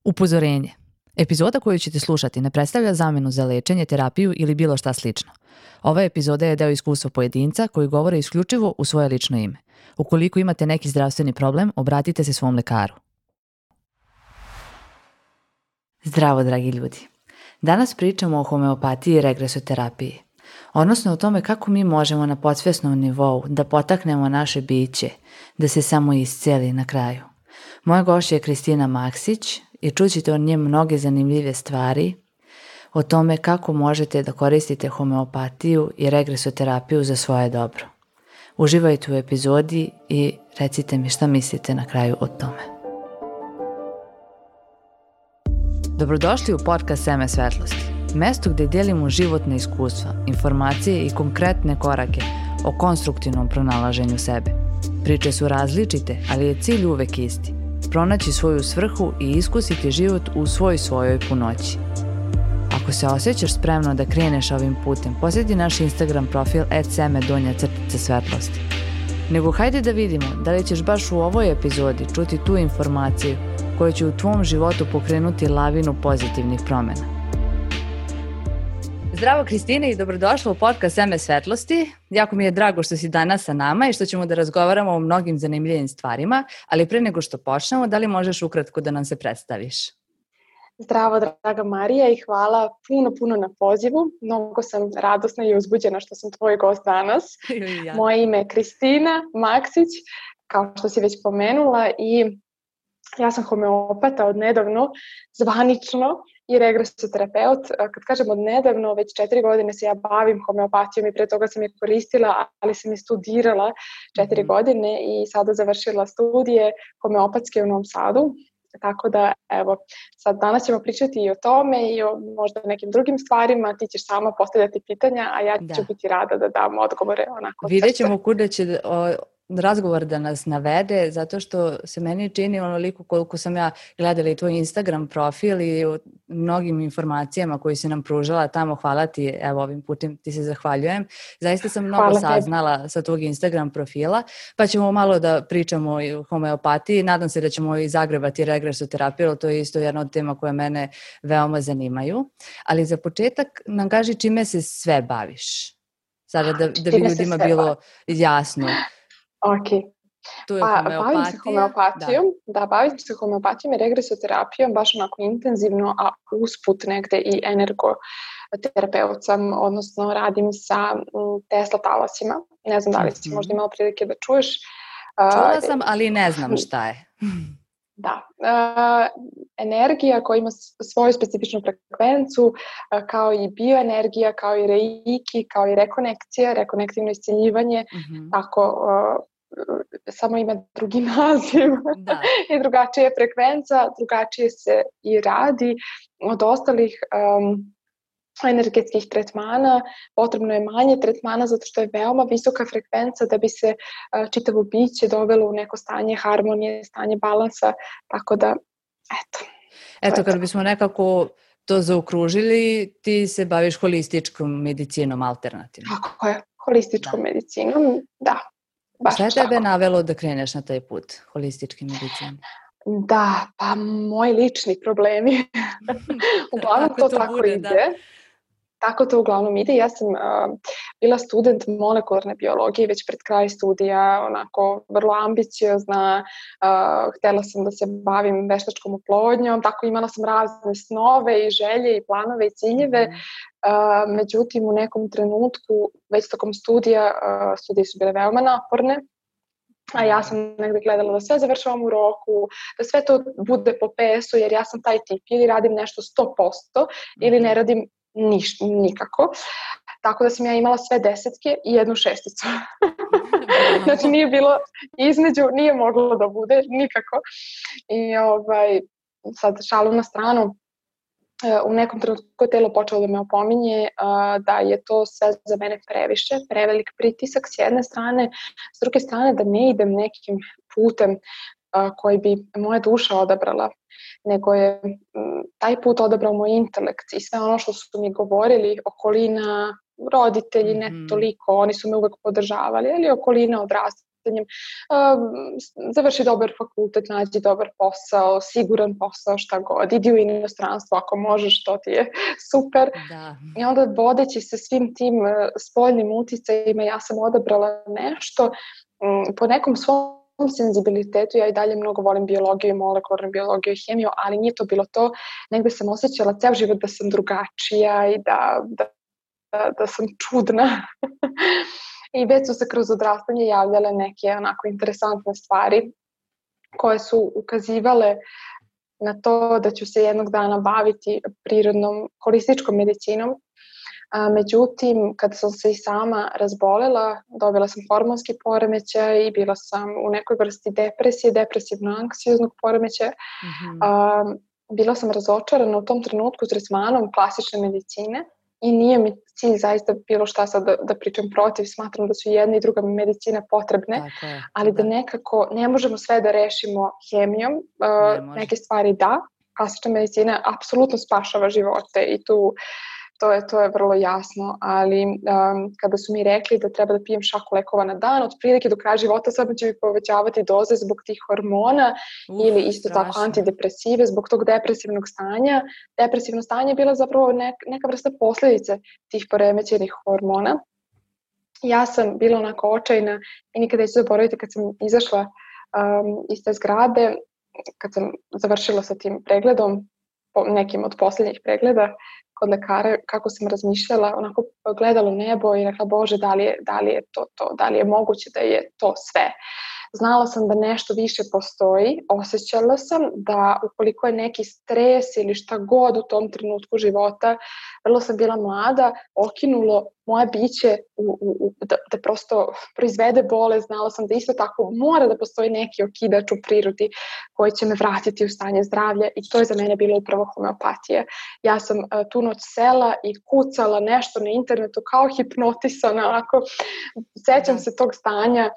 Upozorenje. Epizoda koju ćete slušati ne predstavlja zamenu za lečenje, terapiju ili bilo šta slično. Ova epizoda je deo iskustva pojedinca koji govore isključivo u svoje lično ime. Ukoliko imate neki zdravstveni problem, obratite se svom lekaru. Zdravo, dragi ljudi. Danas pričamo o homeopatiji i regresoterapiji. Odnosno o tome kako mi možemo na podsvjesnom nivou da potaknemo naše biće, da se samo isceli na kraju. Moja gošća je Kristina Maksić i čućete od nje mnoge zanimljive stvari o tome kako možete da koristite homeopatiju i regresoterapiju za svoje dobro. Uživajte u epizodi i recite mi šta mislite na kraju o tome. Dobrodošli u podcast Seme svetlosti, mesto gde delimo životne iskustva, informacije i konkretne korake o konstruktivnom pronalaženju sebe. Priče su različite, ali je cilj uvek isti. Pronaći svoju svrhu i iskusiti život u svojoj punoći. Ako se osjećaš spremno da kreneš ovim putem, posjeti naš Instagram profil @seme_svetlosti. Nego hajde da vidimo da li ćeš baš u ovoj epizodi čuti tu informaciju koja će u tvom životu pokrenuti lavinu pozitivnih promjena. Zdravo Kristina i dobrodošla u podcast Seme svetlosti. Jako mi je drago što si danas sa nama i što ćemo da razgovaramo o mnogim zanimljivim stvarima, ali pre nego što počnemo, da li možeš ukratko da nam se predstaviš? Zdravo, draga Marija, i hvala puno na pozivu. Mnogo sam radosna i uzbuđena što sam tvoj gost danas. Ja. Moje ime je Kristina Maksić, kao što si već pomenula, i ja sam homeopata od nedavno, zvanično, i regresoterapeut. Kad kažem od nedavno, već 4 godine se ja bavim homeopatijom i pre toga sam je koristila, ali sam je studirala 4 godine i sada završila studije homeopatske u Novom Sadu. Tako da, evo, sad danas ćemo pričati i o tome i o možda nekim drugim stvarima. Ti ćeš sama postavljati pitanja, a ja ću biti rada da dam odgovore onako. Vidjet ćemo kuda će razgovor da nas navede, zato što se meni čini onoliko koliko sam ja gledala i tvoj Instagram profil i o mnogim informacijama koji si nam pružala tamo. Hvala ti, evo ovim putem ti se zahvaljujem. Zaista sam mnogo saznala sa tvog Instagram profila, pa ćemo malo da pričamo i o homeopatiji. Nadam se da ćemo i zagrebati regresoterapiju, to je isto jedna od tema koje mene veoma zanimaju. Ali za početak nam kaži čime se sve baviš. Sada da bi ljudima bilo jasno. Ok, bavim se homeopatijom, bavim se homeopatijom i regresoterapijom baš onako intenzivno, a usput negde i energoterapeut sam, odnosno radim sa Tesla talasima. Ne znam da li si možda imala prilike da čuješ. Čula sam, ali ne znam šta je. Da, energija koja ima svoju specifičnu frekvencu, kao i bioenergija, kao i reiki, kao i rekonekcija, rekonektivno isciljivanje, tako samo ima drugi naziv i drugačija je frekvenca, drugačije se i radi od ostalih energetskih tretmana. Potrebno je manje tretmana zato što je veoma visoka frekvenca da bi se čitavo biće dovelo u neko stanje harmonije, stanje balansa, tako da, Eto, kad bismo nekako to zaokružili, ti se baviš holističkom medicinom alternativnom. Tako je, holističkom medicinom, da. Šta je tebe navelo da kreneš na taj put holističke medicine? Da, pa moji lični problemi. Uglavnom to tako bude, ide. Da. Tako to uglavnom ide. Ja sam bila student molekularne biologije već pred kraj studija, onako vrlo ambiciozna. Htjela sam da se bavim veštačkom oplodnjom, tako imala sam razne snove i želje i planove i ciljeve. Međutim, u nekom trenutku, već tokom studije su bile veoma naporne, a ja sam negdje gledala da sve završavam u roku, da sve to bude po PS-u, jer ja sam taj tip, ili radim nešto 100% ili ne radim nikako. Tako da sam ja imala sve 10 i 1 6. Znači nije bilo između, nije moglo da bude nikako. I sad šalu na stranu, u nekom trenutku je telo počelo da me opominje da je to sve za mene previše, prevelik pritisak s jedne strane, s druge strane da ne idem nekim putem koji bi moja duša odabrala, nego je taj put odabrao moj intelekt i sve ono što su mi govorili, okolina, roditelji, ne toliko, oni su me uvek podržavali, ali okolina, odrastanjem. Završi dobar fakultet, nađi dobar posao, siguran posao, šta god. Idi u inostranstvo ako možeš, to ti je super. Da. I onda vodeći se svim tim spoljnim uticajima, ja sam odabrala nešto po nekom svom senzibilitetu. Ja i dalje mnogo volim biologiju, molekularnu biologiju i hemiju, ali nije to bilo to. Negde sam osjećala ceo život da sam drugačija i da sam čudna. I već su se kroz odrastanje javljale neke onako interesantne stvari koje su ukazivale na to da ću se jednog dana baviti prirodnom holističkom medicinom. Međutim, kada sam se i sama razbolela, dobila sam hormonski poremećaj i bila sam u nekoj vrsti depresije, depresivno-anksioznog poremećaja. Bila sam razočarana u tom trenutku tretmanom klasične medicine i nije mi cilj zaista bilo šta sad da pričam protiv, smatram da su jedna i druga medicina potrebne, ali da nekako ne možemo sve da rešimo hemijom, neke stvari da, klasična medicina apsolutno spašava živote i to je vrlo jasno, ali kada su mi rekli da treba da pijem šaku lekova na dan, otprilike do kraja života samo će mi povećavati doze zbog tih hormona ili isto tako antidepresive zbog tog depresivnog stanja. Depresivno stanje je bila zapravo neka vrsta posljedice tih poremećenih hormona. Ja sam bila onako očajna i nikada neću zaboraviti kad sam izašla iz te zgrade, kad sam završila sa tim pregledom, nekim od posljednjih pregleda kod lekara, kako sam razmišljala, onako gledala u nebo i rekla, Bože, da li je to, da li je moguće da je to sve. Znala sam da nešto više postoji, osjećala sam da ukoliko je neki stres ili šta god u tom trenutku života, vrlo sam bila mlada, okinulo moje biće da prosto proizvede bolest. Znala sam da isto tako mora da postoji neki okidač u prirodi koji će me vratiti u stanje zdravlja i to je za mene bilo upravo homeopatija. Ja sam tu noć sela i kucala nešto na internetu kao hipnotisana, onako, sećam se tog stanja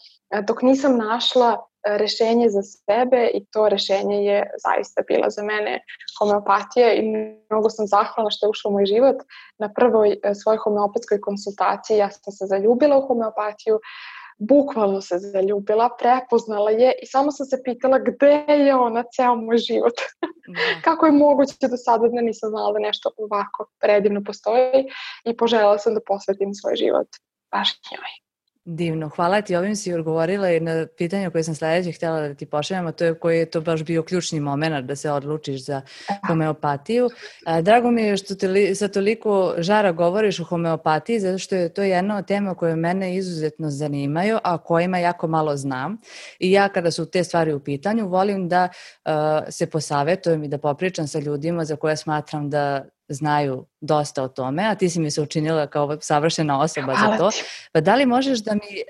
dok nisam našla rešenje za sebe i to rešenje je zaista bila za mene homeopatija i mnogo sam zahvalna što je ušla u moj život. Na prvoj svojoj homeopatskoj konsultaciji ja sam se zaljubila u homeopatiju, bukvalno se zaljubila, prepoznala je i samo sam se pitala gde je ona ceo moj život. Kako je moguće do sada da nisam znala da nešto ovako predivno postoji i poželjela sam da posvetim svoj život baš njoj. Divno, hvala ti, ovim si odgovorila i na pitanje koje sam sledeće htjela da ti pošaljem, a to je koji je to baš bio ključni moment da se odlučiš za homeopatiju. Drago mi je što te sa toliko žara govoriš o homeopatiji, zato što je to jedna od tema koje mene izuzetno zanimaju, a kojima jako malo znam. I ja kada su te stvari u pitanju, volim da se posavetujem i da popričam sa ljudima za koje smatram da znaju dosta o tome, a ti si mi se učinila kao savršena osoba za to. Pa da li možeš da mi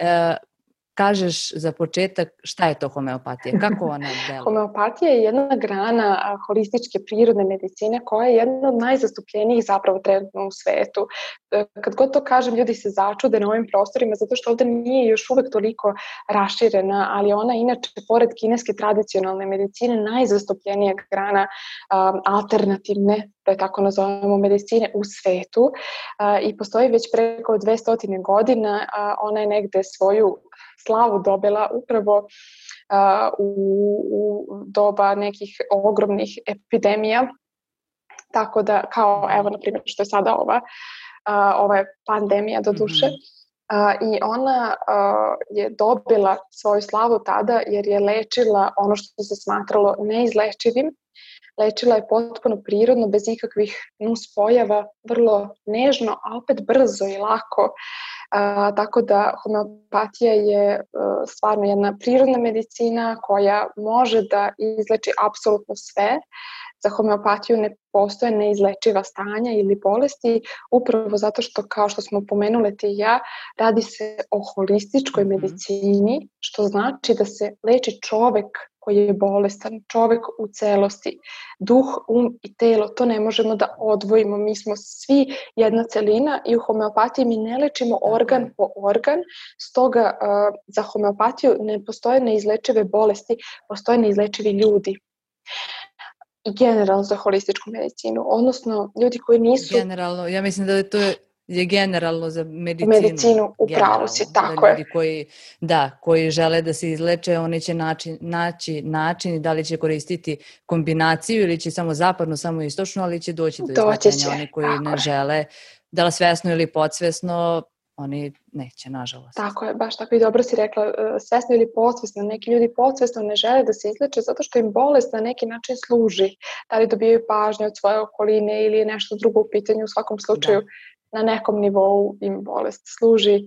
kažeš za početak šta je to homeopatija? Kako ona deluje? Homeopatija je jedna grana holističke prirodne medicine koja je jedna od najzastupljenijih zapravo trenutno u svetu. Kad god to kažem, ljudi se začude na ovim prostorima zato što ovde nije još uvek toliko raširena, ali ona inače, pored kineske tradicionalne medicine, najzastupljenija grana alternativne, da je tako nazovemo, medicine u svetu i postoji već preko 200 godina. Ona je negde svoju slavu dobila upravo u doba nekih ogromnih epidemija. Tako da, kao evo na primjer što je sada ova pandemija do duše. I ona je dobila svoju slavu tada jer je lečila ono što se smatralo neizlečivim. Lečila je potpuno prirodno, bez ikakvih nuspojava, vrlo nežno, a opet brzo i lako. Tako da homeopatija je stvarno jedna prirodna medicina koja može da izleči apsolutno sve. Za homeopatiju ne postoje neizlečiva stanja ili bolesti, upravo zato što, kao što smo pomenule ti i ja, radi se o holističkoj medicini, što znači da se leči čovek koji je bolestan, čovek u celosti. Duh, i telo, to ne možemo da odvojimo. Mi smo svi jedna celina i u homeopatiji mi ne lečimo organ po organ, stoga za homeopatiju ne postoje neizlečive bolesti, postoje neizlečivi ljudi. I generalno za holističku medicinu, odnosno ljudi koji nisu... Generalno, ja mislim da to je je generalno za medicinu. Medicinu, upravo si, tako je. Ljudi koji žele da se izleče, oni će naći način da li će koristiti kombinaciju ili će samo zapadno, samo istočno, ali će doći do izlečenja. Oni koji ne žele, da li svesno ili podsvesno, oni neće, nažalost. Tako je, baš tako i dobro si rekla, svesno ili podsvesno. Neki ljudi podsvesno ne žele da se izleče zato što im bolest na neki način služi. Da li dobijaju pažnje od svoje okoline ili nešto drugo u pitanju, u svakom slučaju na nekom nivou im bolest služi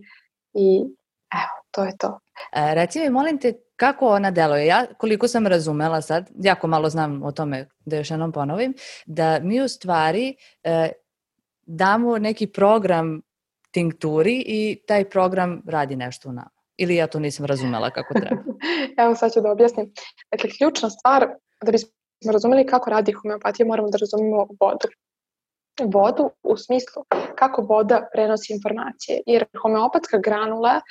i evo, to je to. Reci mi, molim te, kako ona deluje? Ja, koliko sam razumela sad, jako malo znam o tome, da još jednom ponovim, da mi u stvari damo neki program tinkturi i taj program radi nešto u nama. Ili ja to nisam razumela kako treba? Evo sad ću da objasnim. Dakle, ključna stvar, da bismo razumeli kako radi homeopatija, moramo da razumemo vodu. Vodu u smislu kako voda prenosi informacije. Jer homeopatska granula,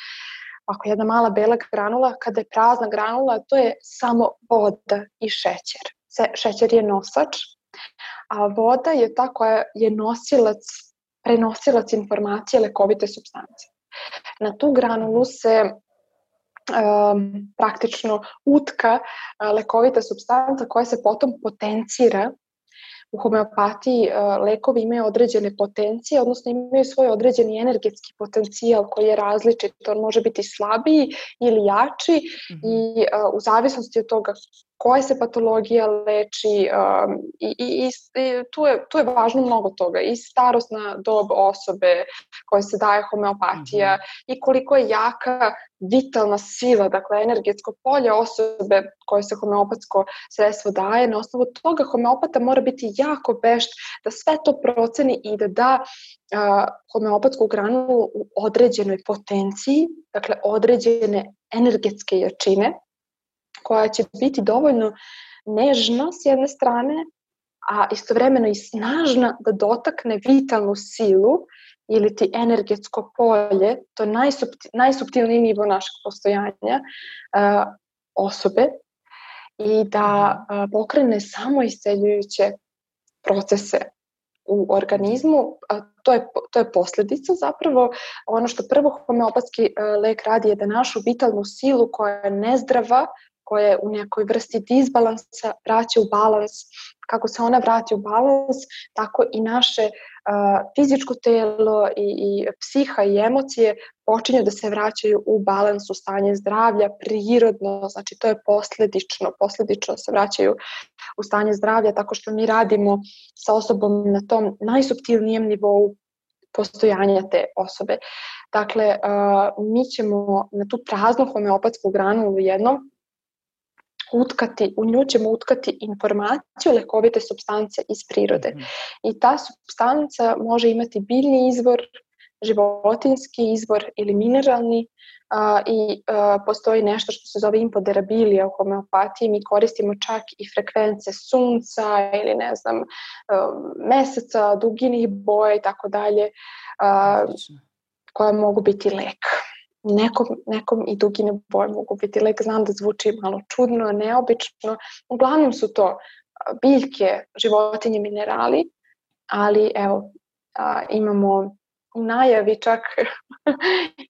ako je jedna mala bela granula, kada je prazna granula, to je samo voda i šećer. Šećer je nosač, a voda je ta koja je prenosilac informacije lekovite supstance. Na tu granulu se praktično utka lekovita supstanca koja se potom potencira. U homeopatiji lekovi imaju određene potencije, odnosno imaju svoj određeni energetski potencijal koji je različit. On može biti slabiji ili jači i u zavisnosti od toga koja se patologija leči i tu je važno mnogo toga. I starosna dob osobe koje se daje homeopatija i koliko je jaka vitalna sila, dakle energetsko polje osobe koje se homeopatsko sredstvo daje. Na osnovu toga homeopata mora biti jako vešt da sve to proceni i da da homeopatsku granulu u određenoj potenciji, dakle određene energetske jačine, koja će biti dovoljno nežna s jedne strane, a istovremeno i snažna da dotakne vitalnu silu ili ti energetsko polje, to je najsuptilniji nivo našeg postojanja osobe i da pokrene samoisceljujuće procese u organizmu. To je posljedica zapravo. Ono što prvo homeopatski lek radi je da našu vitalnu silu koja je nezdrava, koja je u nekoj vrsti disbalansa, vraća u balans. Kako se ona vrati u balans, tako i naše fizičko telo i psiha i emocije počinju da se vraćaju u balans, u stanje zdravlja, prirodno, znači to je posljedično se vraćaju u stanje zdravlja, tako što mi radimo sa osobom na tom najsuptilnijem nivou postojanja te osobe. Dakle, mi ćemo na tu praznu homeopatsku granulu jednom u nju ćemo utkati informaciju lekovite supstance iz prirode. I ta supstanca može imati biljni izvor, životinjski izvor ili mineralni i postoji nešto što se zove impoderabilija u homeopatiji. Mi koristimo čak i frekvence sunca ili ne znam meseca, duginih boja i tako dalje, koja mogu biti lek. Nekom i dugine boje mogu biti lek. Znam da zvuči malo čudno, neobično. Uglavnom su to biljke, životinje, minerali, ali evo, imamo u najavi čak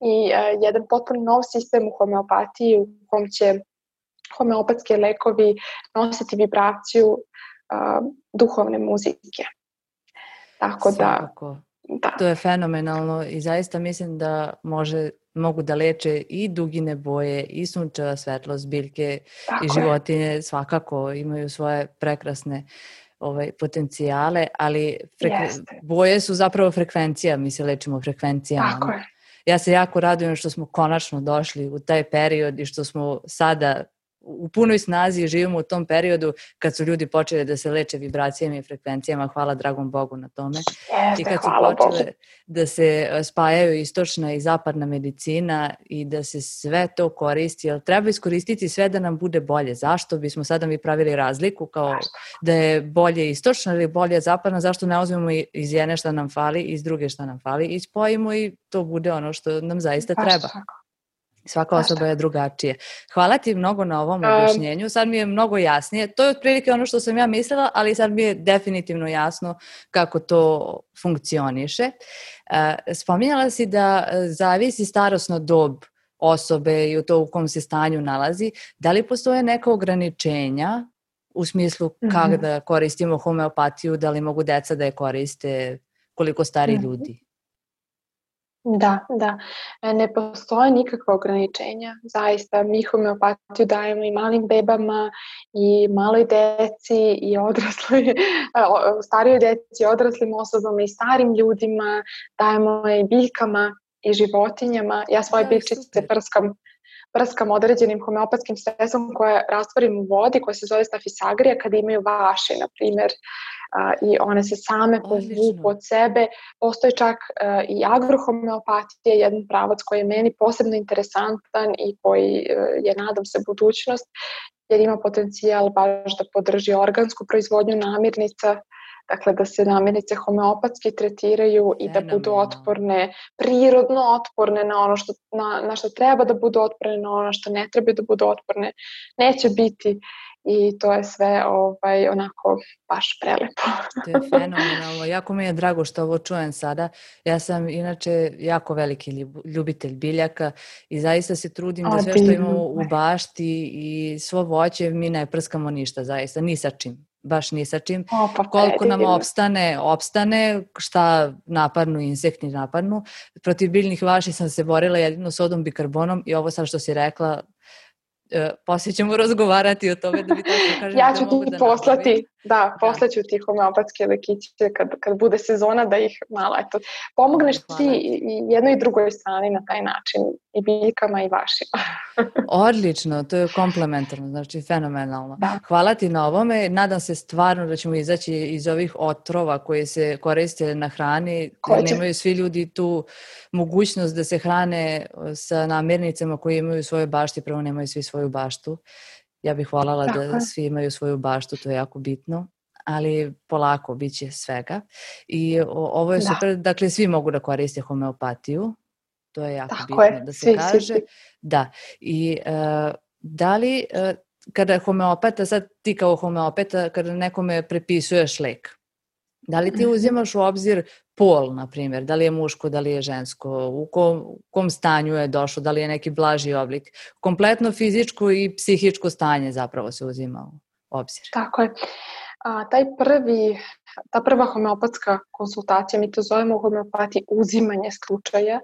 i jedan potpuno nov sistem u homeopatiji u kom će homeopatske lekovi nositi vibraciju duhovne muzike. Tako da... To je fenomenalno i zaista mislim da mogu da leče i dugine boje i sunčeva svetlost, biljke i životinje svakako imaju svoje prekrasne potencijale, ali boje su zapravo frekvencija, mi se lečimo frekvencijama. Tako je. Ja se jako radujem što smo konačno došli u taj period i što smo sada u punoj snazi živimo u tom periodu kad su ljudi počeli da se leče vibracijama i frekvencijama, hvala dragom Bogu na tome. I kad su počele da se spajaju istočna i zapadna medicina i da se sve to koristi, ali treba iskoristiti sve da nam bude bolje. Zašto bismo sada mi pravili razliku kao da je bolje istočna ili bolje zapadna, zašto ne uzmemo iz jedne šta nam fali, iz druge šta nam fali i spojimo i to bude ono što nam zaista treba. Svaka osoba je drugačije. Hvala ti mnogo na ovom objašnjenju. Sad mi je mnogo jasnije. To je otprilike ono što sam ja mislila, ali sad mi je definitivno jasno kako to funkcioniše. Spominjala si da zavisi starosna dob osobe i u kom se stanju nalazi. Da li postoje neka ograničenja u smislu kako da koristimo homeopatiju, da li mogu deca da je koriste, koliko stari ljudi? Da. Ne postoje nikakva ograničenja. Zaista, mi homeopatiju dajemo i malim bebama, i maloj deci, i odrasloj, starijoj deci, odraslim osobama, i starim ljudima. Dajemo i biljkama i životinjama. Ja svoje biljčice prskam određenim homeopatskim sredstvom koje rastvorim u vodi, koje se zove Staphysagrija, kada imaju vaši, na primjer, i one se same povuku od sebe. Postoji čak i agrohomeopatija, jedan pravac koji je meni posebno interesantan i koji je, nadam se, budućnost, jer ima potencijal baš da podrži organsku proizvodnju namirnica, dakle da se namirnice homeopatski tretiraju i da budu otporne, prirodno otporne na ono na što treba da budu otporne, na ono što ne treba da budu otporne. Neće biti. I to je sve onako baš prelepo. To je fenomenalno. Jako mi je drago što ovo čujem sada. Ja sam inače jako veliki ljubitelj biljaka i zaista se trudim da sve što imamo u bašti i svo voće mi ne prskamo ništa, zaista, ni sa čim. Baš ni sa čim. Koliko nam opstane, šta napadnu, insekti napadnu. Protiv biljnih vaši sam se borila jedino sodom bikarbonom i ovo sad što si rekla, poslije ćemo razgovarati o tome da bi tako kažem. Ja ću ti poslati, poslaću ti homeopatske lekiće kad bude sezona da ih malo, pomogneš ti i jednoj i drugoj strani na taj način, i biljkama i vašima. Odlično, to je komplementarno, znači fenomenalno. Da. Hvala ti na ovome, nadam se stvarno da ćemo izaći iz ovih otrova koje se koriste na hrani, jer nemaju svi ljudi tu mogućnost da se hrane sa namirnicama koje imaju svoje bašti, prvo nemaju svi svoju baštu. Ja bih voljela da svi imaju svoju baštu, to je jako bitno, ali polako bit će svega. I ovo je super, dakle svi mogu da koriste homeopatiju, to je jako bitno da se kaže. Da, i da li kada homeopata, sad ti kao homeopata, kada nekome prepisuješ lek, da li ti uzimaš u obzir pol, na primjer, da li je muško, da li je žensko, u kom stanju je došlo, da li je neki blaži oblik. Kompletno fizičko i psihičko stanje zapravo se uzima u obzir. Tako je. Ta prva homeopatska konsultacija, mi to zovemo u homeopatiji uzimanje slučaja,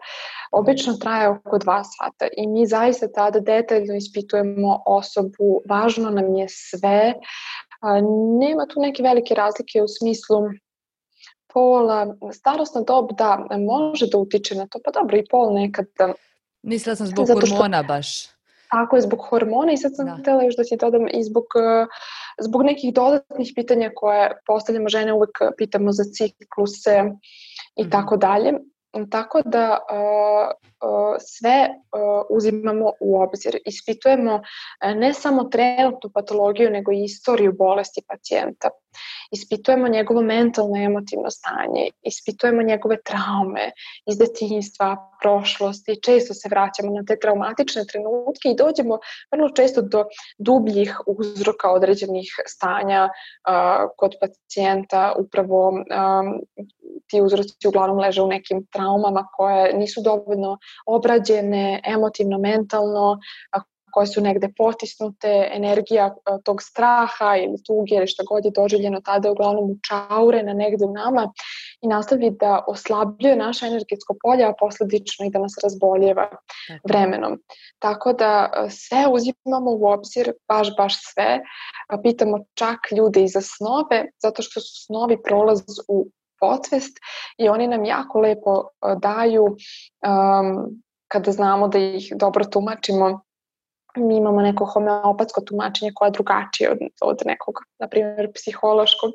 obično traje oko 2 sata i mi zaista tada detaljno ispitujemo osobu, važno nam je sve. Nema tu neke velike razlike u smislu pola, starosna dob može da utiče na to, pa dobro i pol nekada. Mislila sam zbog hormona baš. Tako je, zbog hormona i sad sam htjela još da ti dodam i zbog nekih dodatnih pitanja koje postavljamo, žene uvek pitamo za cikluse i tako dalje. Tako da sve uzimamo u obzir. Ispitujemo ne samo trenutnu patologiju, nego i istoriju bolesti pacijenta. Ispitujemo njegovo mentalno i emotivno stanje, ispitujemo njegove traume iz detinjstva, prošlosti, često se vraćamo na te traumatične trenutke i dođemo vrlo često do dubljih uzroka određenih stanja kod pacijenta. Upravo ti uzroci uglavnom leže u nekim traumama koje nisu dovoljno obrađene emotivno, mentalno, koje su negde potisnute, energija tog straha ili tuge ili šta god je doživljeno tada uglavnom učaurena negde u nama i nastavi da oslabljuje naše energetsko polje, a posledično i da nas razboljeva vremenom. Tako da sve uzimamo u obzir, baš sve. Pitamo čak ljude i za snove, zato što su snovi prolaz u podsvest i oni nam jako lepo daju, kada znamo da ih dobro tumačimo, mi imamo neko homeopatsko tumačenje koje je drugačije od nekog, na primjer, psihološkog,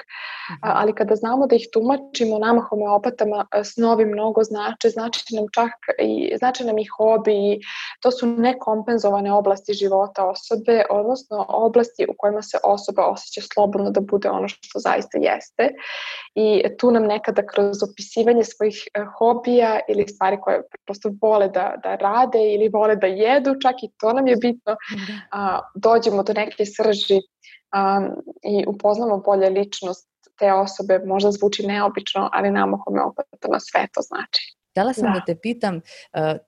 ali kada znamo da ih tumačimo, nama homeopatama snovi mnogo znači nam čak i znači nam i hobi, to su nekompenzovane oblasti života osobe, odnosno oblasti u kojima se osoba osjeća slobodno da bude ono što zaista jeste. I tu nam nekada kroz opisivanje svojih hobija ili stvari koje prosto vole da rade ili vole da jedu, čak i to nam je bitno, dođemo do neke srži i upoznamo bolje ličnost te osobe. Možda zvuči neobično, ali nama homeopatama sve to znači. Htjela sam da te pitam,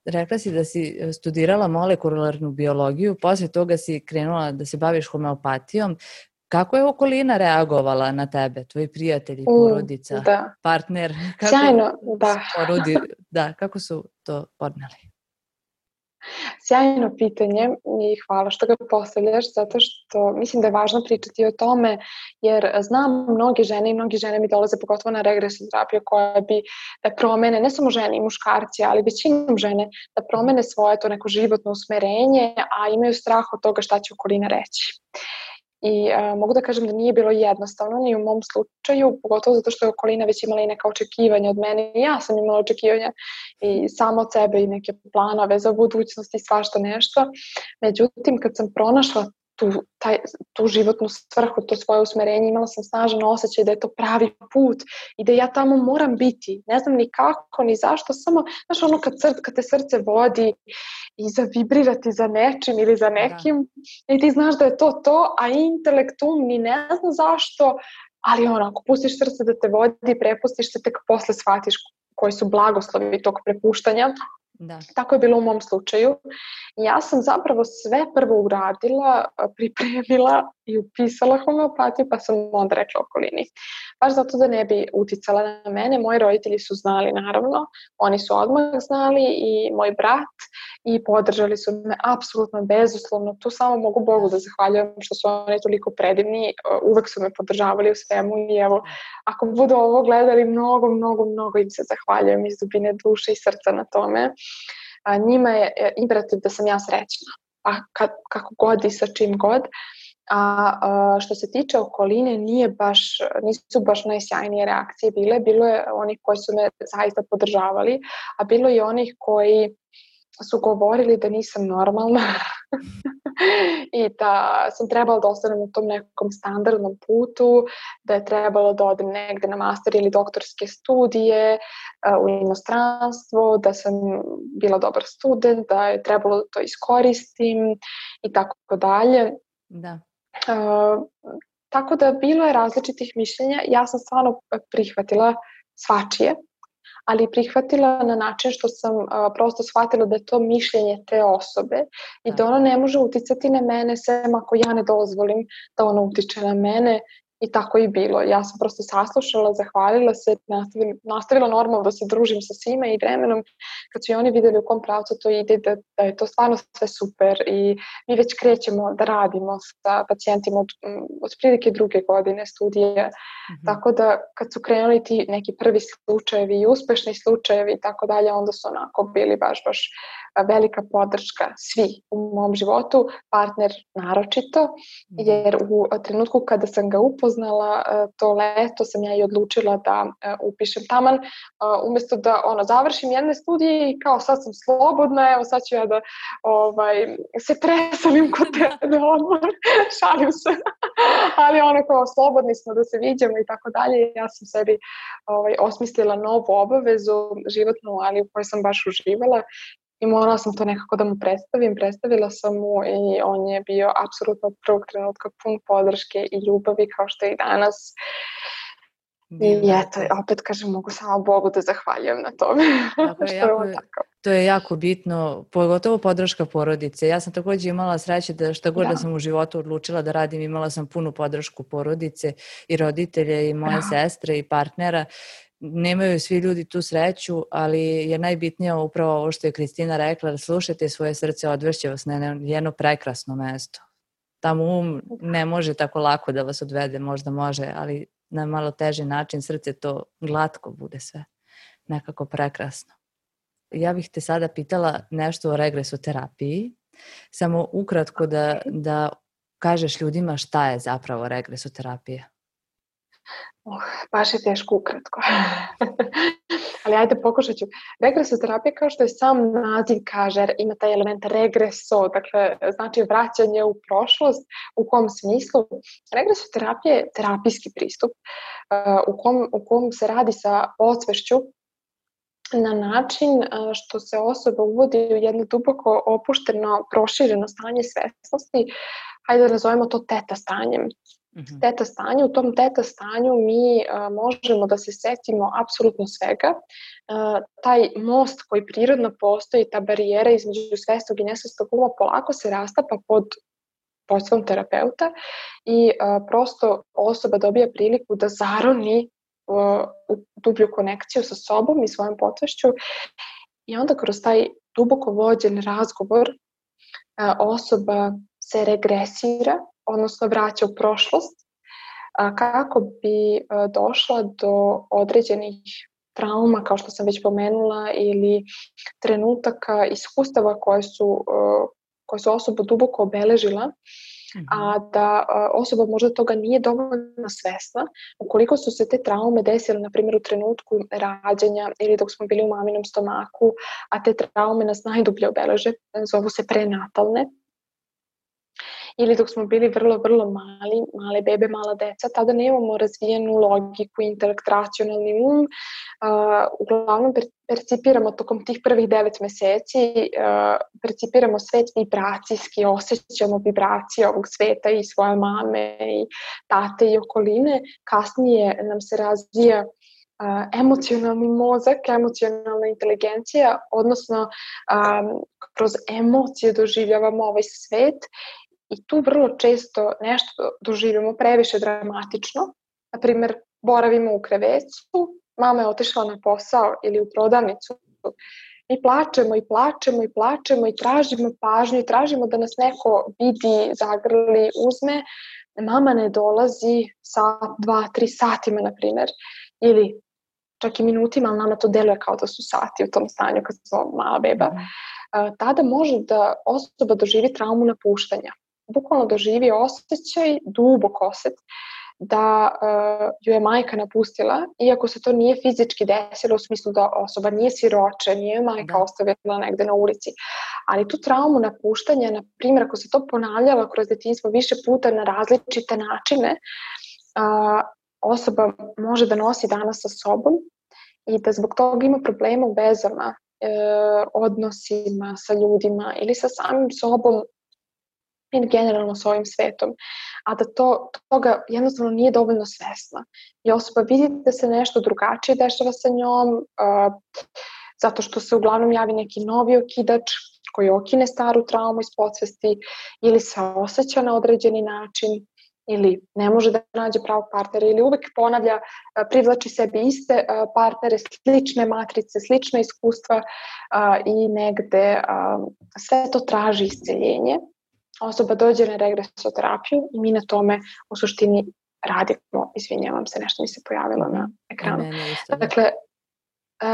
rekla si da si studirala molekularnu biologiju, poslije toga si krenula da se baviš homeopatijom. Kako je okolina reagovala na tebe, tvoji prijatelji, porodica, partner? Sjajno, da. Kako su to podneli? Sjajno pitanje i hvala što ga postavljaš, zato što mislim da je važno pričati o tome, jer znam mnoge žene i mnogi žene mi dolaze pogotovo na regresnu terapiju koja bi da promene, ne samo žene i muškarci, ali većinom žene, da promene svoje to neko životno usmerenje, a imaju strah od toga šta će okolina reći. I mogu da kažem da nije bilo jednostavno ni u mom slučaju, pogotovo zato što je okolina već imala i neka očekivanja od mene i ja sam imala očekivanja i samo od sebe i neke planove za budućnost i svašta nešto. Međutim, kad sam pronašla tu životnu svrhu, to svoje usmerenje, imala sam snažan osjećaj da je to pravi put i da ja tamo moram biti. Ne znam ni kako, ni zašto, samo, znaš, ono kad te srce vodi i zavibrirati za nečim ili za nekim i ti znaš da je to, a intelektum ni ne zna zašto, ali ako pustiš srce da te vodi, prepustiš se, tek posle shvatiš koji su blagoslovi tog prepuštanja. Da. Tako je bilo u mom slučaju. Ja sam zapravo sve prvo uradila, pripremila i upisala homeopatiju, pa sam onda rekla okolini. Baš zato da ne bi uticala na mene. Moji roditelji su znali, naravno. Oni su odmah znali i moj brat i podržali su me apsolutno bezuslovno. Tu samo mogu Bogu da zahvaljujem što su oni toliko predivni. Uvek su me podržavali u svemu i evo, ako budu ovo gledali, mnogo im se zahvaljujem iz dubine duše i srca na tome. Njima je imperativ da sam ja srećna, a kako god i sa čim god. A što se tiče okoline, nisu baš najsjajnije reakcije bile. Bilo je onih koji su me zaista podržavali, a bilo je onih koji su govorili da nisam normalna i da sam trebala da ostanem u tom nekom standardnom putu, da je trebalo da odem negde na master ili doktorske studije u inostranstvo, da sam bila dobar student, da je trebalo da to iskoristim i tako dalje. Da. Tako da bilo je različitih mišljenja. Ja sam stvarno prihvatila svačije, ali prihvatila na način što sam prosto shvatila da je to mišljenje te osobe i da ono ne može uticati na mene sem ako ja ne dozvolim da ono utiče na mene. I tako i bilo. Ja sam prosto saslušala, zahvalila se, nastavila normalno da se družim sa svima i vremenom kad su i oni vidjeli u kom pravcu to ide, da je to stvarno sve super i mi već krećemo da radimo sa pacijentima od prilike 2. godine studije. Tako da kad su krenuli ti neki prvi slučajevi i uspešni slučajevi i tako dalje, onda su onako bili baš velika podrška svi u mom životu, partner naročito, jer u trenutku kada sam ga upoznala, to leto sam ja i odlučila da upišem taman, umjesto da završim jedne studije i kao sad sam slobodna, evo sad ću ja da se preselim kod tebe odmah, šalim se, ali kao slobodni smo da se viđemo i tako dalje. Ja sam sebi osmislila novu obavezu životnu, ali u kojoj sam baš uživala. I morala sam to nekako da mu predstavila sam mu i on je bio apsolutno od prvog trenutka pun podrške i ljubavi kao što je i danas. I eto, opet kažem, mogu samo Bogu da zahvaljujem na tome. To je jako bitno, pogotovo podrška porodice. Ja sam također imala sreće da šta god da sam u životu odlučila da radim, imala sam punu podršku porodice i roditelje i moje sestre i partnera. Nemaju svi ljudi tu sreću, ali je najbitnije upravo ovo što je Kristina rekla, da slušajte svoje srce, odvešće vas na jedno prekrasno mesto. Tamo ne može tako lako da vas odvede, možda može, ali na malo teži način srce to glatko bude sve. Nekako prekrasno. Ja bih te sada pitala nešto o regresoterapiji. Samo ukratko da kažeš ljudima šta je zapravo regresoterapija. Baš je teško ukratko. Ali ajde pokušat ću. Regresoterapija, kao što je sam naziv kaže, ima taj element regreso, dakle znači vraćanje u prošlost. U kom smislu? Regresoterapija je terapijski pristup u kom se radi sa podsvešću na način što se osoba uvodi u jedno duboko opušteno, prošireno stanje svesnosti. Hajde da nazovemo to teta stanjem. Teta stanje, u tom teta stanju mi možemo da se setimo apsolutno svega. Taj most koji prirodno postoji, ta barijera između svesnog i nesvesnog uma polako se rastapa pod vođstvom terapeuta i prosto osoba dobija priliku da zaroni u dublju konekciju sa sobom i svojom podsvešću i onda kroz taj duboko vođen razgovor osoba se regresira, odnosno vraća u prošlost, kako bi došla do određenih trauma, kao što sam već pomenula, ili trenutaka, iskustava koje su osobu duboko obeležila, a da osoba možda toga nije dovoljno svesna. Ukoliko su se te traume desile, na primjer, u trenutku rađanja ili dok smo bili u maminom stomaku, a te traume nas najdublje obeleže, zovu se prenatalne, ili dok smo bili vrlo, vrlo male bebe, mala deca, tada nemamo razvijenu logiku, intelekt, racionalni um. Uglavnom percipiramo tokom tih prvih 9 meseci, percipiramo svet vibracijski, osjećamo vibracije ovog sveta i svoje mame i tate i okoline. Kasnije nam se razvija emocionalni mozak, emocionalna inteligencija, odnosno kroz emocije doživljavamo ovaj svet. I tu vrlo često nešto doživimo previše dramatično. Naprimjer, boravimo u krevetu, mama je otišla na posao ili u prodavnicu. I plačemo i plačemo i plačemo i tražimo pažnju i tražimo da nas neko vidi, zagrli, uzme. Mama ne dolazi sat, 2, 3 satima, na primjer. Ili čak i minutima, ali nama to deluje kao da su sati u tom stanju kad smo mala beba. Tada može da osoba doživi traumu napuštanja. Bukvalno doživi osjećaj, dubok osjet, da ju je majka napustila, iako se to nije fizički desilo u smislu da osoba nije siroče, nije ju majka ostavila negde na ulici. Ali tu traumu napuštanja, na primjer, ako se to ponavljalo kroz detinjstvo više puta na različite načine, osoba može da nosi danas sa sobom i da zbog toga ima problema u vezama, odnosima sa ljudima ili sa samim sobom i generalno s ovim svetom, a da toga jednostavno nije dovoljno svesna. I osoba vidi da se nešto drugačije dešava sa njom, zato što se uglavnom javi neki novi okidač koji okine staru traumu iz podsvesti ili se osjeća na određeni način ili ne može da nađe pravog partnera ili uvek ponavlja, privlači sebi iste partnere, slične matrice, slične iskustva i negde sve to traži isceljenje. Osoba dođe na regresoterapiju i mi na tome u suštini radimo. Izvinjavam se, nešto mi se pojavilo na ekranu. Dakle,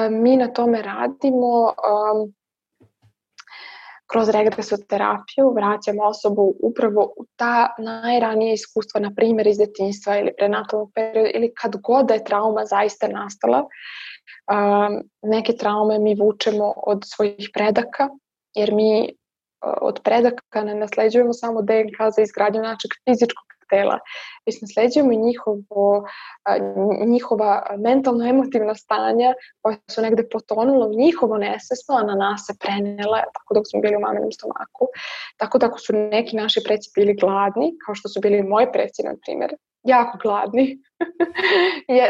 mi na tome radimo kroz regresoterapiju, vraćamo osobu upravo u ta najranije iskustva, na primjer iz detinjstva ili prenatalnog perioda ili kad god da je trauma zaista nastala. Neke traume mi vučemo od svojih predaka, jer mi od predaka ne nasleđujemo samo DNK za izgradnju našeg fizičkog tela, već nasleđujemo i njihova mentalno-emotivna stanja koja su negde potonula u njihovo nesvesno, a na nas se prenela tako dok smo bili u maminom stomaku. Tako da ako su neki naši preci bili gladni, kao što su bili moji preci, na primjer, jako gladni,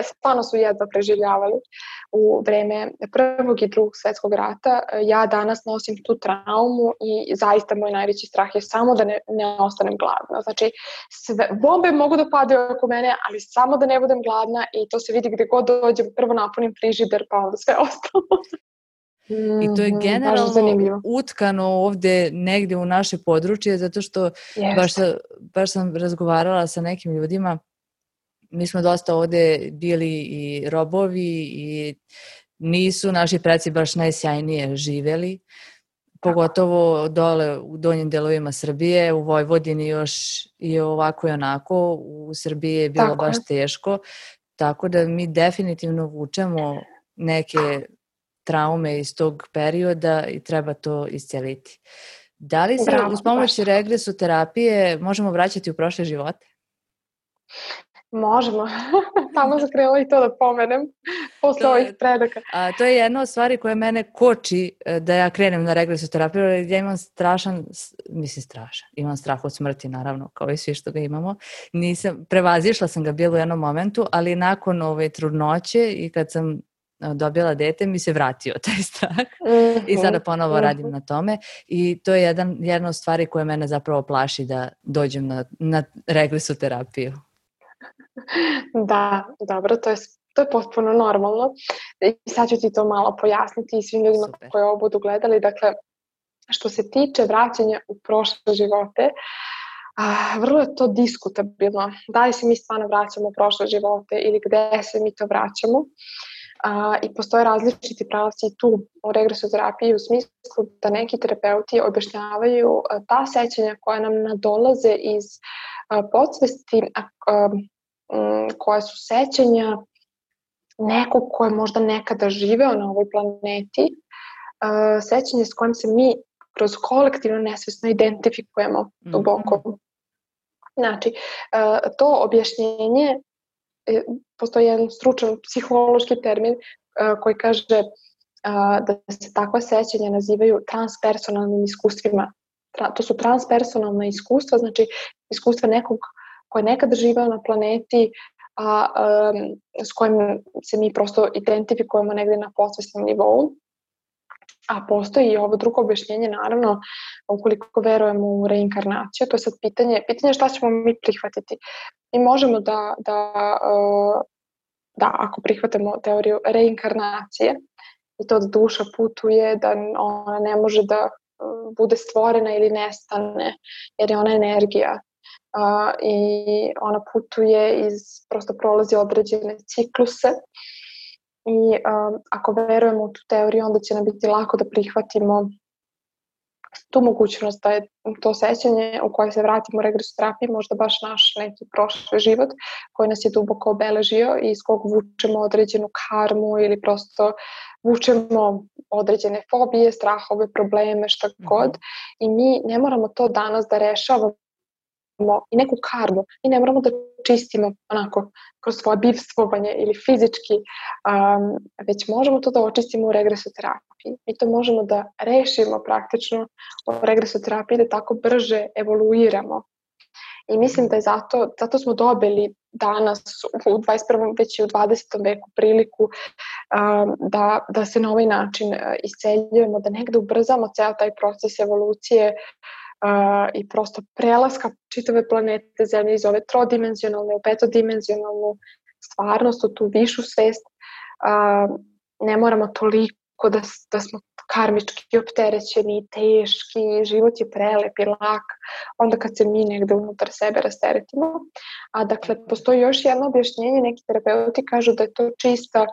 stvarno su jedva preživljavali u vreme Prvog i Drugog svjetskog rata. Ja danas nosim tu traumu i zaista moj najveći strah je samo da ne ostanem gladna. Znači, bombe mogu da padaju oko mene, ali samo da ne budem gladna i to se vidi gde god dođem, prvo napunim frižider pa onda sve ostalo. I to je generalno utkano ovde negde u naše područje, zato što baš sam razgovarala sa nekim ljudima. Mi smo dosta ovde bili i robovi i nisu naši preci baš najsjajnije živeli. pogotovo dole u donjim delovima Srbije, u Vojvodini još i ovako i onako, u Srbiji je bilo baš teško, tako da mi definitivno vučemo neke traume iz tog perioda i treba to isceliti. Da li se uz pomoć regresoterapije možemo vraćati u prošle živote? Možemo. Tamo sam krenula i to da pomenem posle ovih predaka. To je jedna od stvari koja mene koči da ja krenem na regresoterapiju, jer ja imam imam strah od smrti, naravno, kao i svi što ga imamo. Prevazišla sam ga bilo u jednom momentu, ali nakon trudnoće i kad sam dobila dete, mi se vratio taj strah i sada ponovo radim na tome i to je jedna od stvari koja mene zapravo plaši da dođem na regresoterapiju. Da, dobro, to je potpuno normalno i sad ću ti to malo pojasniti i svim ljudima koji ovo budu gledali. Dakle, što se tiče vraćanja u prošle živote, vrlo je to diskutabilno. Da li se mi stvarno vraćamo u prošle živote ili gde se mi to vraćamo. I postoje različiti pravci tu u regresoterapiji u smislu da neki terapeuti objašnjavaju ta sećanja koja nam nadolaze iz podsvesti, koja su sećanja nekog ko je možda nekada živeo na ovoj planeti, sećanje s kojim se mi kroz kolektivno nesvesno identifikujemo duboko. Znači, to objašnjenje, postoji jedan stručan psihološki termin koji kaže da se takva sećanja nazivaju transpersonalnim iskustvima. To su transpersonalna iskustva, znači iskustva nekog ko je nekada živeo na planeti, s kojim se mi prosto identifikujemo negdje na podsvesnom nivou. A postoji i ovo drugo objašnjenje, naravno, ukoliko verujemo u reinkarnaciju, to je sad pitanje šta ćemo mi prihvatiti. Mi možemo da ako prihvatimo teoriju reinkarnacije i to da duša putuje, da ona ne može da bude stvorena ili nestane, jer je ona energija. I ona putuje prosto prolazi određene cikluse i ako verujemo u tu teoriju, onda će nam biti lako da prihvatimo tu mogućnost da je to sećanje u koje se vratimo u regresoterapiji možda baš naš neki prošli život koji nas je duboko obeležio i iz kog vučemo određenu karmu ili prosto vučemo određene fobije, strahove, probleme, šta god. I mi ne moramo to danas da rešavamo i neku karmu. Mi ne moramo da čistimo onako kroz svoje bivstvovanje ili fizički, već možemo to da očistimo u regresoterapiji. Mi to možemo da rešimo praktično u regresoterapiji, da tako brže evoluiramo. I mislim da je zato smo dobili danas u 21. već i u 20. veku priliku da se na ovaj način isceljujemo, da negde ubrzamo ceo taj proces evolucije i prosto prelaska čitave planete Zemlje iz ove trodimenzionalne u petodimenzionalnu stvarnost, u tu višu svest. Ne moramo toliko da smo karmički opterećeni, teški, život je prelep i lak, onda kad se mi negde unutar sebe rasteretimo. A dakle, postoji još jedno objašnjenje, neki terapeuti kažu da je to čista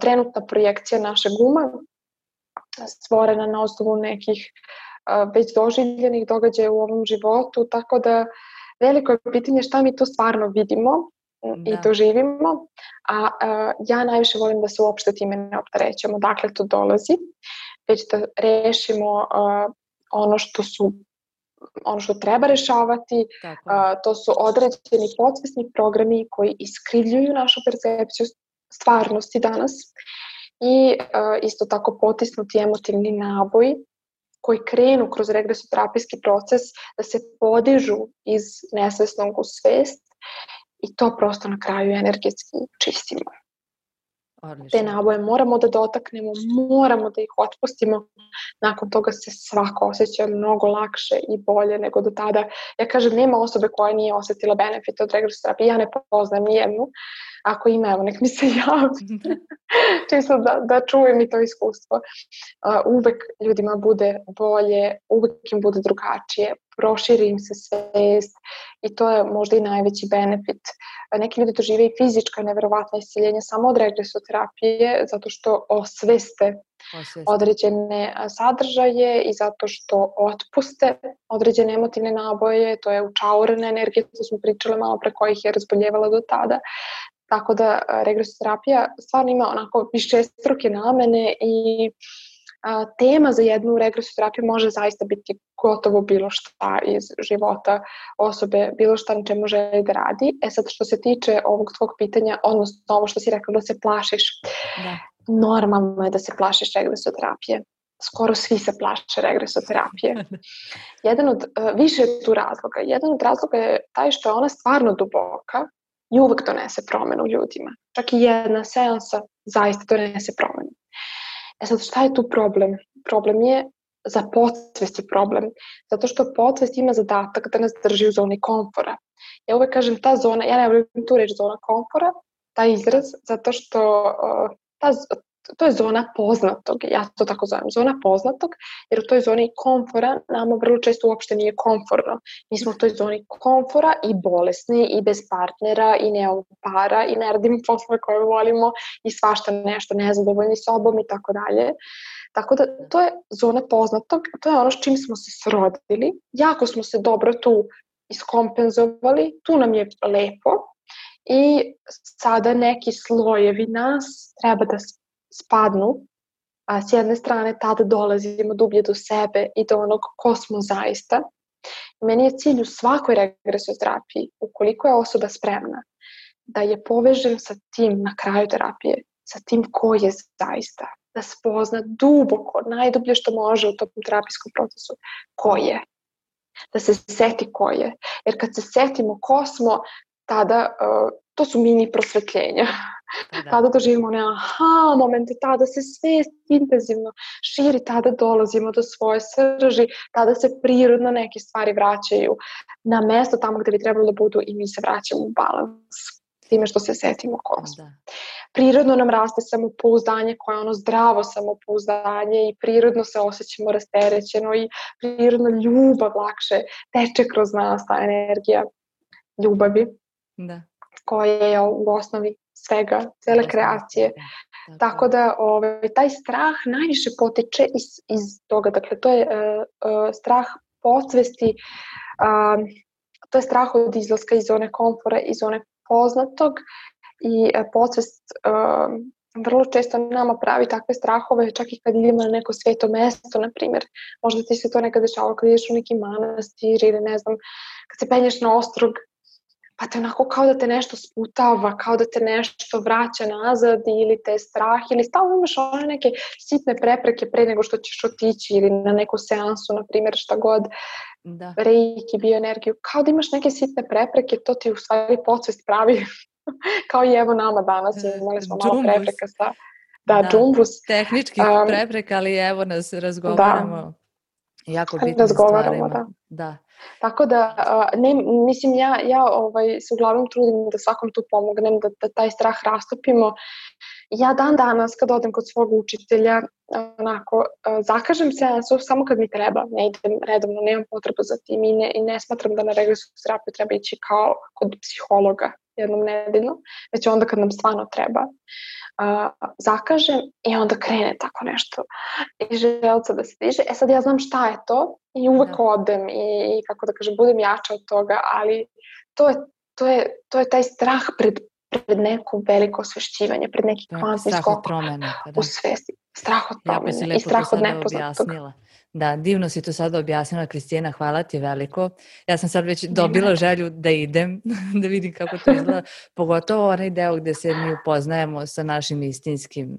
trenutna projekcija našeg uma, stvorena na osnovu nekih već doživljenih događaja u ovom životu, tako da veliko je pitanje šta mi to stvarno vidimo i doživimo, a ja najviše volim da se uopšte time ne opterećujemo, dakle to dolazi, već da rešimo ono što treba rešavati, to su određeni podsvesni programi koji iskrivljuju našu percepciju stvarnosti danas i isto tako potisnuti emotivni naboj koji krenu kroz regresoterapijski proces da se podižu iz nesvesnog u svest i to prosto na kraju energetski čistimo. Te naboje moramo da dotaknemo, moramo da ih otpustimo, nakon toga se svako osjeća mnogo lakše i bolje nego do tada. Ja kažem, nema osobe koja nije osjetila benefite od regresoterapije, ja ne poznajem nijednu. Ako ima, evo, nek mi se javi. Čisto da čujem i to iskustvo. Uvek ljudima bude bolje, uvek im bude drugačije, proširi im se svest i to je možda i najveći benefit. Neki ljudi dožive i fizička neverovatna isceljenja samo od regresoterapije zato što osveste određene sadržaje i zato što otpuste određene emotivne naboje, to je učaurena energija, to smo pričale malo pre kojih je razboljevala do tada. Tako da regresoterapija stvarno ima onako višestruke namene i tema za jednu regresoterapiju može zaista biti gotovo bilo šta iz života osobe, bilo šta na čemu želi da radi. Sad što se tiče ovog tvog pitanja, odnosno ovo što si rekla da se plašiš, normalno je da se plašiš regresoterapije. Skoro svi se plaše regresoterapije. Više je tu razloga. Jedan od razloga je taj što je ona stvarno duboka i uvek donese promenu ljudima. Čak i jedna seansa zaista donese promenu. Sad, šta je tu problem? Problem je za podsvest je problem. Zato što podsvest ima zadatak da nas drži u zoni komfora. Ja uvek kažem ta zona, ja ne volim tu reći zona komfora, taj izraz, zato što to je zona poznatog, ja to tako zovem, zona poznatog, jer u toj zoni komfora nama vrlo često uopšte nije komforno. Mi smo u toj zoni komfora i bolesni i bez partnera i nemamo para i ne radimo poslove koje volimo i svašta nešto, nezadovoljni sobom i tako dalje. Tako da to je zona poznatog, to je ono s čim smo se srodili, jako smo se dobro tu iskompenzovali, tu nam je lepo i sada neki slojevi nas treba da spadnu, a s jedne strane tada dolazimo dublje do sebe i do onog ko smo zaista. Meni je cilj u svakoj regresoterapiji, ukoliko je osoba spremna, da je povežem sa tim na kraju terapije, sa tim ko je zaista, da spozna duboko, najdublje što može u tom terapijskom procesu, ko je. Da se seti ko je. Jer kad se setimo ko smo, tada to su mini prosvetljenja. Tada doživimo one momente, tada se svest intenzivno širi, tada dolazimo do svoje srži, tada se prirodno neke stvari vraćaju na mesto tamo gde bi trebalo da budu i mi se vraćamo u balans time što se setimo ko smo. Prirodno nam raste samopouzdanje koje je ono zdravo samopouzdanje i prirodno se osjećamo rasterećeno i prirodno ljubav lakše teče kroz nas, ta energija ljubavi. Koja je u osnovi svega, cele kreacije. Tako da taj strah najviše potiče iz toga. Dakle, to je strah podsvesti, to je strah od izlaska iz zone komfora, iz zone poznatog i podsvest vrlo često nama pravi takve strahove, čak i kad idemo na neko sveto mesto, na primjer. Možda ti se to nekad dešavalo kad ideš u neki manastir ili ne znam, kad se penješ na ostrog, pa te onako kao da te nešto sputava, kao da te nešto vraća nazad ili te strah ili stalno imaš one neke sitne prepreke pre nego što ćeš otići ili na neku seansu, na primjer šta god, reiki, bioenergiju, kao da imaš neke sitne prepreke, to ti u stvari podsvest pravi, kao i evo nama danas, imali smo malo prepreka sa džumbus. Tehničkih prepreka, ali evo nas razgovaramo. Jako bitnim stvarima. Da. Tako da, mislim, ja se uglavnom trudim da svakom tu pomognem, da taj strah rastopimo. Ja dan danas kad odem kod svog učitelja, onako, zakažem seansu samo kad mi treba, ne idem redovno, nemam potrebu za tim i ne smatram da na regresoterapiju treba ići kao kod psihologa jednom nedeljno, već onda kad nam stvarno treba. Zakažem i onda krene tako nešto i želca da se diže. Sad ja znam šta je to i uvek odem i kako da kažem, budem jača od toga, ali to je taj strah pred neko veliko osvešćivanje, pred neki kvantni skok u svesti. Strah od promene i strah od nepoznatog. Da, divno si to sada objasnila, Kristina, hvala ti veliko. Ja sam sad već dobila želju da idem, da vidim kako to izgleda, pogotovo onaj deo gde se mi upoznajemo sa našim istinskim,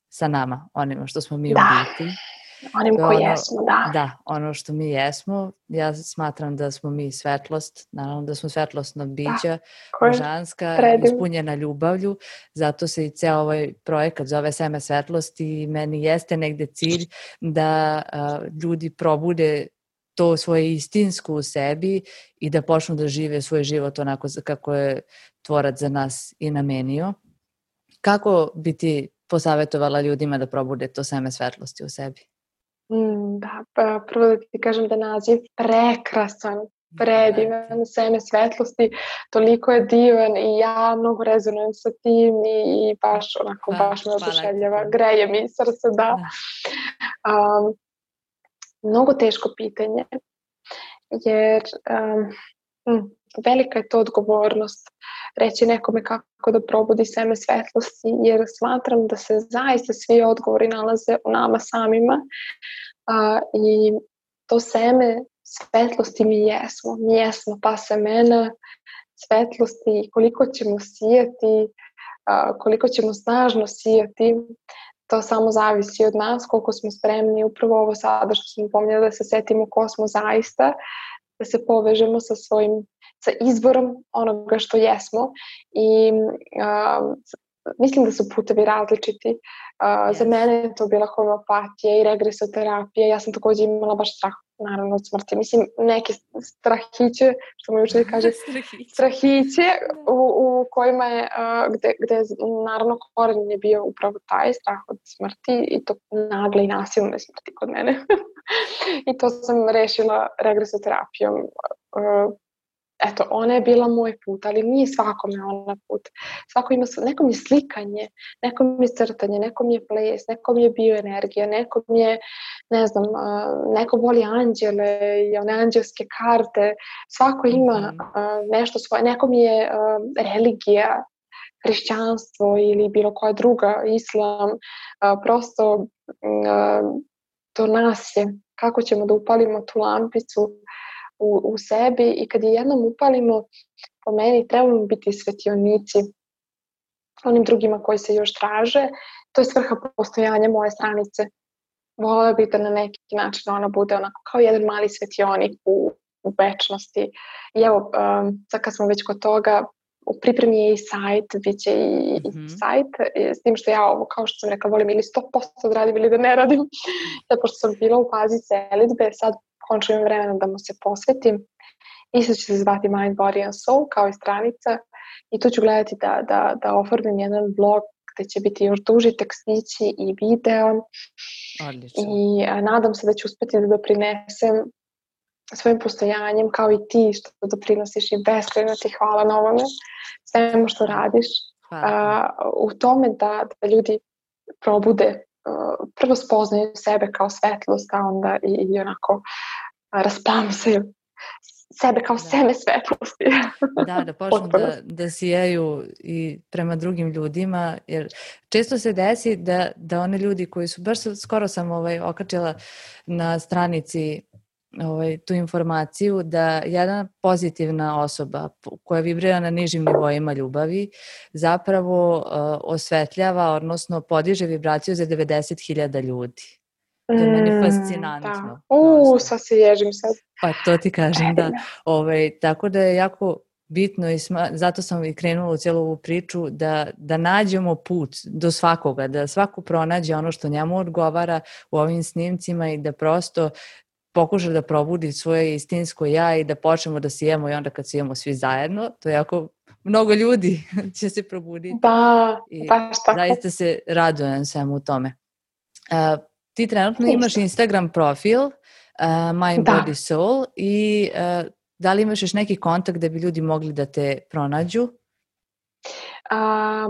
sa nama, onima što smo mi u biti. Onim koji jesmo, da. Da, ono što mi jesmo. Ja smatram da smo mi svetlost, naravno da smo svetlosna bića, božanska, ispunjena ljubavlju, zato se i ceo ovaj projekat zove Seme svetlosti i meni jeste negde cilj da ljudi probude to svoje istinsko u sebi i da počnu da žive svoj život onako kako je tvorac za nas i namenio. Kako bi ti posavetovala ljudima da probude to seme svetlosti u sebi? Da, prvo da ti kažem da naziv prekrasan. predivan, seme svetlosti, toliko je divan i ja mnogo rezonujem sa tim i baš onako, baš me oduševljava, greje mi srce, da. Mnogo teško pitanje, jer velika je to odgovornost reći nekome kako da probudi seme svetlosti, jer smatram da se zaista svi odgovori nalaze u nama samima i to seme svetlosti mi jesmo ta semena svetlosti, koliko ćemo sijati, koliko ćemo snažno sijati, to samo zavisi od nas, koliko smo spremni, upravo ovo sada što smo pominjali, da se setimo ko smo zaista, da se povežemo sa izvorom onoga što jesmo i mislim da su putevi različiti. Za mene je to bila homeopatija i regresoterapija. Ja sam također imala baš strah, naravno, od smrti. Mislim, neke strahiće, što mi učitelj kaže, strahiće u kojima je, gde naravno koren je bio upravo taj strah od smrti i to nagle i nasilne smrti kod mene. I to sam rešila regresoterapijom. Eto, ona je bila moj put, ali nije svakome ona put. Nekom je slikanje, nekom je crtanje, nekom je ples, nekom je bioenergija, nekom je, ne znam, neko voli anđele i one anđelske karte. Svako ima nešto svoje, nekom je religija, hrišćanstvo ili bilo koja druga, islam. Prosto to nas je. Kako ćemo da upalimo tu lampicu u sebi i kad je jednom upalimo, po meni trebamo biti svetionici onim drugima koji se još traže. To je svrha postojanja moje stranice. Volela bih da na neki način ona bude onako kao jedan mali svetionik u večnosti. I evo, sad kad smo već kod toga, u pripremi je i sajt, bit će i sajt, s tim što ja ovo, kao što sam rekla, volim ili 100% da radim ili da ne radim. Zato pošto sam bila u fazi selidbe, sad končno imam vremena da mu se posvetim. Isto će se zvati Mind, Body and Soul, kao i stranica. I tu ću gledati da oformim jedan blog gde će biti još duži tekstići i video. Odlično. I nadam se da ću uspeti da doprinesem svojim postojanjem, kao i ti što doprinosiš, i beskrajno ti hvala na ovome, svemu što radiš. U tome da ljudi probude, prvo spoznaju sebe kao svetlost, a onda i onako rasplamsaju sebe kao seme svetlosti. Da počnu da sijaju i prema drugim ljudima, jer često se desi da one ljudi koji su, baš skoro sam okačila na stranici tu informaciju, da jedna pozitivna osoba koja vibrira na nižim nivoima ljubavi zapravo osvetljava, odnosno podiže vibraciju za 90.000 ljudi. To je meni fascinantno. Sad se ježim sad. Pa to ti kažem, da. Tako da je jako bitno i zato sam i krenula u cijelu ovu priču da nađemo put do svakoga, da svako pronađe ono što njemu odgovara u ovim snimcima i da prosto pokuša da probudi svoje istinsko ja i da počnemo da sijemo i onda kad sijemo svi zajedno, to je jako mnogo ljudi će se probuditi. Da, baš tako. Zaista se radujem svemu u tome. Ti trenutno imaš Instagram profil Mind, Body, Soul i da li imaš još neki kontakt da bi ljudi mogli da te pronađu?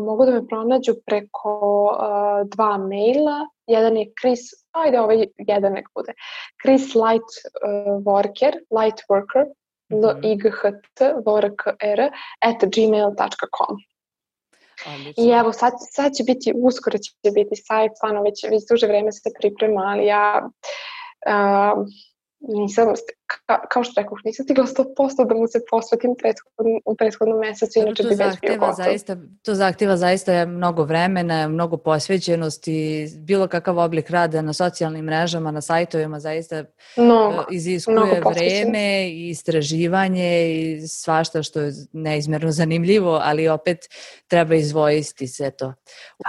Mogu da me pronađu preko 2 maila. Jedan je jedan nek bude. Chris Lightworker, @gmail.com. I evo, sad će biti, uskoro će biti sajt, stvarno već duže vreme se priprema, ali ja nisam, kao što rekao, nisam stigla 100% da mu se posvetim u prethodnom mesecu, inače bi već bio gotov. To zahtjeva zaista mnogo vremena, mnogo posvećenosti, bilo kakav oblik rada na socijalnim mrežama, na sajtovima zaista iziskuje vreme i istraživanje i svašta što je neizmjerno zanimljivo, ali opet treba izvojiti sve to.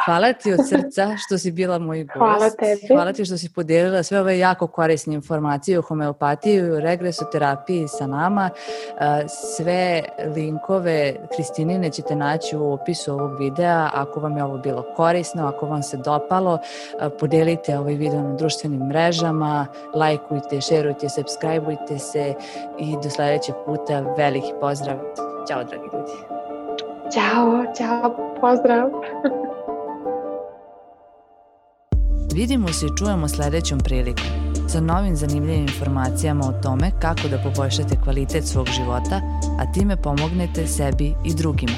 Hvala ti od srca što si bila moj gost. Hvala tebi. Hvala ti što si podijelila sve ove jako korisne informacije o homeopatiji, regresoterapiji sa nama. Sve linkove Hristinine ćete naći u opisu ovog videa. Ako vam je ovo bilo korisno, ako vam se dopalo, podelite ovaj video na društvenim mrežama, lajkujte, šerujte, subscribeujte se i do sledećeg puta veliki pozdrav. Ćao, dragi ljudi. Ćao, pozdrav. Vidimo se i čujemo sledećom prilikom sa novim zanimljivim informacijama o tome kako da poboljšate kvalitet svog života, a time pomognete sebi i drugima.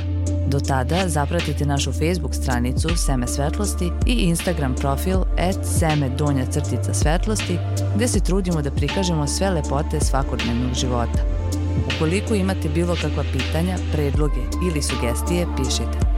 Do tada zapratite našu Facebook stranicu Seme svetlosti i Instagram profil @seme_svetlosti gde se trudimo da prikažemo sve lepote svakodnevnog života. Ukoliko imate bilo kakva pitanja, predloge ili sugestije, pišite.